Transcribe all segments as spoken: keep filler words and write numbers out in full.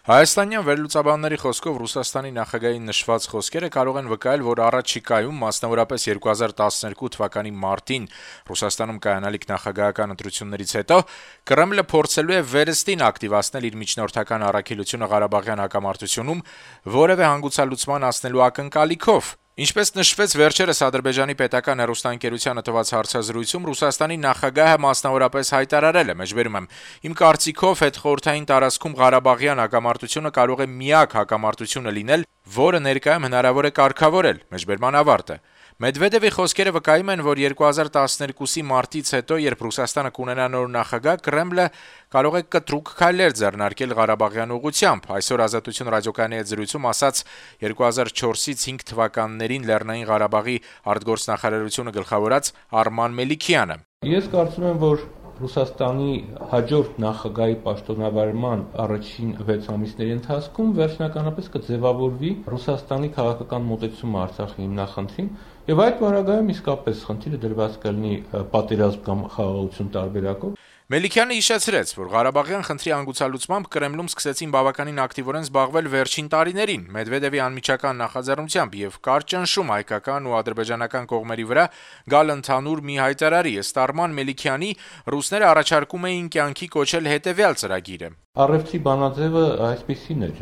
Հայաստանյան վերլուծաբանների խոսքով Ռուսաստանի նախագահի նշված խոսքերը կարող են վկայել, որ առաջիկայում, մասնավորապես երկու հազար տասներկու թվականի մարտին Ռուսաստանում կայանալիք նախագահական ընտրություններից հետո Կրեմլը փորձելու է վերստին ակտիվացնել իր միջնորդական առաքելությունը Ղարաբաղյան հակամարտությունում, որևէ հանգուցալուծման հասնելու ակնկալիքով։ Ինչպես նշվեց վերջերս Ադրբեջանի պետական հեռուստաընկերությանը տված հարցազրույցում, Ռուսաստանի նախագահը մասնավորապես հայտարարել է. «Մեջբերում եմ, իմ կարծիքով հետխորհրդային տարածքում Ղարաբաղյան հակամարտությունը կարող է միակ հակամարտությունը լինել, որը ներկայում հնարավոր է կարգավորել»։ Մեջբերման ավարտ է. Մեդվեդևի խոսքերը վկայում են, որ երկու հազար տասներկուսի մարտից հետո, երբ Ռուսաստանը կունենա նոր նախագահ, Կրեմլը կարող է կտրուկ քայլեր ձեռնարկել Ղարաբաղյան ուղղությամբ։ Այսօր «Ազատություն» ռադիոկայանի հետ զրույցում ասաց երկու հազար չորսից հինգ թվականներին Լեռնային Ղարաբաղի արտգործնախարարությունը գլխավորած Արման Մելիքյանը. Ես կարծում եմ, որ Ռուսաստանի հաջորդ նախագահի պաշտոնավարման առաջին վեց ամիսների ընթացքում վերջնականապես կձևավորվի Ռուսաստանի քաղաքական մոտեցումը Արցախի հիմնախնդրին, եւ այդ բaragայում իսկապես խնդիրը դրված կլինի պատերազմ կամ խաղաղություն տարբերակով։ Մելիքյանը հիշեցրեց, որ Ղարաբաղյան խնդրի հանգուցալուծմամբ Կրեմլում սկսեցին բավականին ակտիվորեն զբաղվել վերջին տարիներին։ Մեդվեդևի անմիջական նախաձեռնությամբ եւ կար ճնշում հայկական ու ադրբեջանական կողմերի վրա գալ ընդհանուր մի հայտարարի։ Ըստ Արման Մելիքյանի, ռուսները առաջարկում էին կյանքի կոչել հետեւյալ ծրագիրը. Առևտրի բանաձևը այսպիսին էր.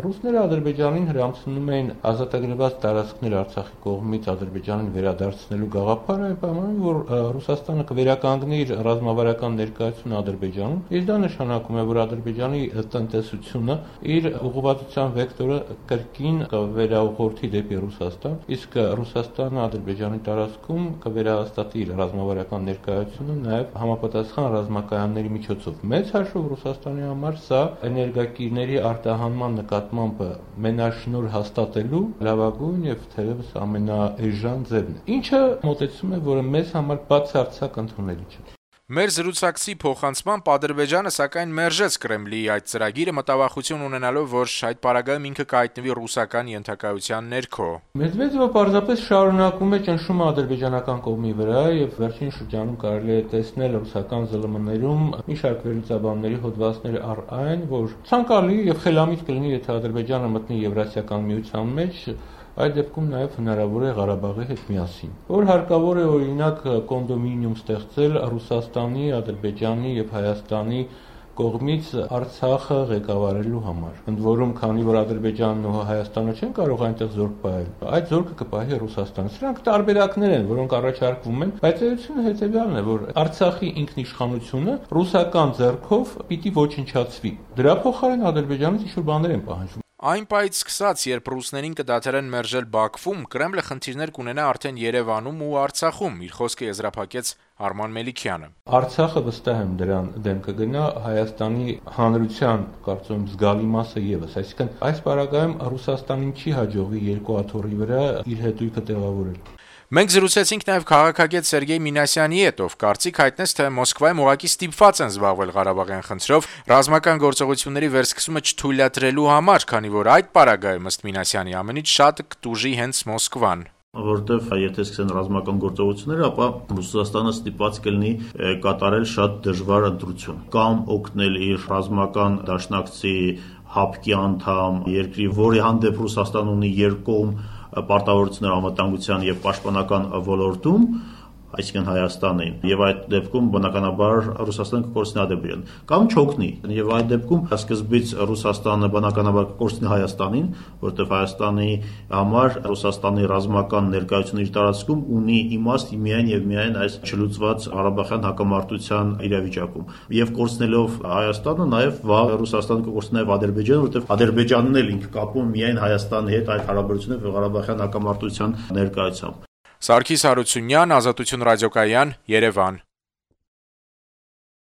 ռուսները Ադրբեջանին հրամցնում էին ազատագրված տարածքներ Արցախի կողմից Ադրբեջանին վերադարձնելու գաղափարը, այն պայմանով, որ Ռուսաստանը կվերականգնի իր ռազմավարական ներկայությունը Ադրբեջանում, իսկ դա նշանակում է, որ Ադրբեջանի տնտեսությունը իր ուղղվածության վեկտորը կրկին կվերաուղղորդի դեպի Ռուսաստան, իսկ Ռուսաստանը Ադրբեջանի տարածքում կվերահաստատի իր ռազմավարական ներկայությունը նաև համապատասխան ռազմակայանների միջոցով։ Մեծ հաշվով Ռուսաստանի համար սա էներգակիրների արտահանման նկատմամբ մենաշնորհ հաստատելու լավագույն եւ թերևս ամենաէժան ձևն է, ինչը մոտեցում է, որը մեզ համար բացարձակ ընդունելի չէ։ Մեր զրուցակցի փոխանցմամբ Ադրբեջանը սակայն մերժեց Կրեմլի այդ ծրագիրը, մտավախություն ունենալով, որ այդ պարագայում ինքը կհայտնվի ռուսական ենթակայության ներքո։ Մեդվեդևը պարզապես շարունակում է ճնշումը ադրբեջանական կողմի վրա եւ վերջին շրջանում կարելի է տեսնել ռուսական ԶԼՄ-ներում մի շարք վերլուծաբանների հոդվածներ առ այն, որ ցանկալի եւ խելամիտ կլինի, եթե Ադրբեջանը մտնի Եվրասիական միության մեջ, այդ դեպքում նաև հնարավոր է Ղարաբաղի հետ միասին, որ հարկավոր է օրինակ կոնդոմինիում ստեղծել Ռուսաստանի, Ադրբեջանի եւ Հայաստանի կողմից Արցախը ղեկավարելու համար։ Ընդ որում, քանի որ Ադրբեջանն ու Հայաստանը չեն կարող այնտեղ զորք պահել, այդ զորքը կպահի Ռուսաստանը։ Սրանք տարբերակներ են, որոնք առաջարկվում են, բայց էությունը հետեւյալն է, որ Արցախի ինքնիշխանությունը ռուսական ձեռքով պիտի ոչնչացվի։ Դրա փոխարեն Ադրբեջանից ինչ-որ բաներ են պահանջվում։ Այն պայծ սկսած, երբ ռուսներին կդադարեն մերժել Բաքվում, Կրեմլը խնդիրներ կունենա արդեն Երևանում ու Արցախում, իր խոսքը եզրափակեց Արման Մելիքյանը։ Արցախը վստահ եմ դրան դեմ կգնա, Հայաստանի հանրության կարծում զգալի մասը եւս, այսինքն այս պարագայում Ռուսաստանին չի հաջողվի երկու աթոռի վրա իր հետույքը տեղավորել։ Մենք զրուցեցինք նաև քաղաքագետ Սերգեյ Մինասյանի հետ, ով կարծիք հայտնեց, թե Մոսկվայում ուղղակի ստիպված են զբաղվել Ղարաբաղյան խնդրով ռազմական գործողությունների վերսկսումը չթույլատրելու համար, քանի որ այդ պարագայում ըստ Մինասյանի ամենից շատ կտուժի հենց Մոսկվան։ Որտեվ եթե սկսեն ռազմական գործողությունները, ապա Ռուսաստանը ստիպված կլինի կատարել շատ դժվար ընտրություն, կամ օգնել իր ռազմական դաշնակցի հապկի անդամ երկրի, որի հանդեպ Ռուսաստան ունի երկկողմ պարտավորություններ անվտանգության եւ պաշտպանական ոլորտում, այսինքն Հայաստանին, եւ այդ դեպքում բնականաբար Ռուսաստանը կկորցնի Ադրբեջանին, կամ չօգնի, եւ այդ դեպքում սկզբից Ռուսաստանը բնականաբար կկորցնի Հայաստանին, որտեղ Հայաստանի համար Ռուսաստանի ռազմական ներկայությունը իր տարածքում ունի իմաստ միայն եւ միայն այս չլուծված Ղարաբաղյան հակամարտության իրավիճակում, եւ կորցնելով Հայաստանը, նաեւ վաղ Ռուսաստանը կկորցնի նաեւ Ադրբեջանը, որտեղ Ադրբեջանն էլ ինքը կապում միայն Հայաստանի հետ այդ հարաբերությունները Ղարաբաղյան հակամարտության ներկայությամբ։ Սարգիս Հարությունյան, Ազատություն ռադիոկայան, Երևան։